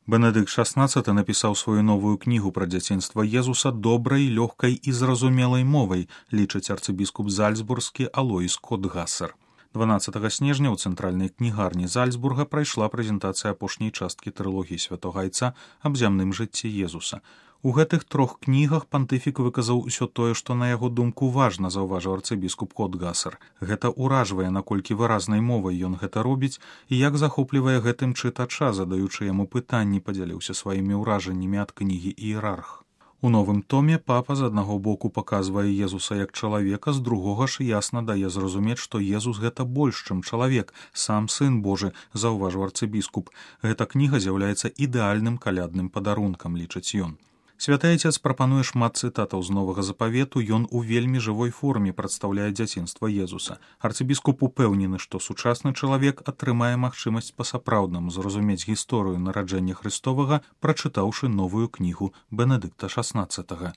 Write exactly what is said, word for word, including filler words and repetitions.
Бенедыкт шаснаццаты напісаў сваю новую кнігу пра дзяцінства Езуса добрай, лёгкай і зразумелай мовай, лічыць арцыбіскуп зальцбургскі Алоіс Котгасер. дванаццатага снежня ў цэнтральнай кнігарні Зальцбурга прайшла прэзентацыя апошняй часткі трылогіі святога Айца аб зямным жыцці Езуса. У гэтых трох кнігах пантыфік выказаў усё тое, што на яго думку важна, заўважыў арцыбіскуп Котгасер. Гэта ўражвае, наколькі выразнай мовай ён гэта робіць і як захоплівае гэтым чытача, задаючы яму пытанні, падзяліўся сваімі ўражаннямі ад кнігі «Іерарх». У новым томе папа з аднаго боку паказвае Езуса як чалавека, з другога ж ясна дае зразумець, што Езус гэта больш, чым чалавек, сам сын Божы, заўважыў арцыбіскуп. Гэта кніга з'яўляецца ідэальным калядным падарункам, лічыць ён. Святы Айцец прапануе шмат цытатаў з новага запавету, ён у вельмі жывой форме прадстаўляе дзяцінства Езуса. Арцыбіскуп упэўнены, што сучасны чалавек атрымае магчымасць па-сапраўднаму зразумець гісторыю нараджэння Христовага, прачытаўшы новую кнігу Бенедыкта шаснаццатага.